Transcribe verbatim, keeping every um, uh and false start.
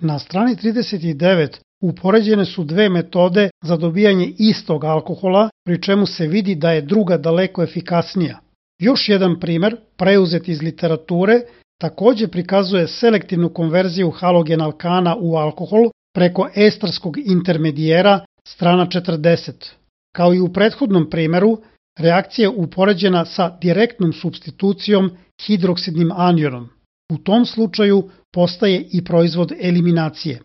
Na strani trideset devet upoređene su dve metode za dobijanje istog alkohola, pri čemu se vidi da je druga daleko efikasnija. Još jedan primer, preuzet iz literature, takođe prikazuje selektivnu konverziju halogen alkana u alkohol preko estarskog intermedijera, strana četrdeset. Kao i u prethodnom primeru, reakcija je upoređena sa direktnom supstitucijom hidroksidnim anionom. U tom slučaju postaje i proizvod eliminacije.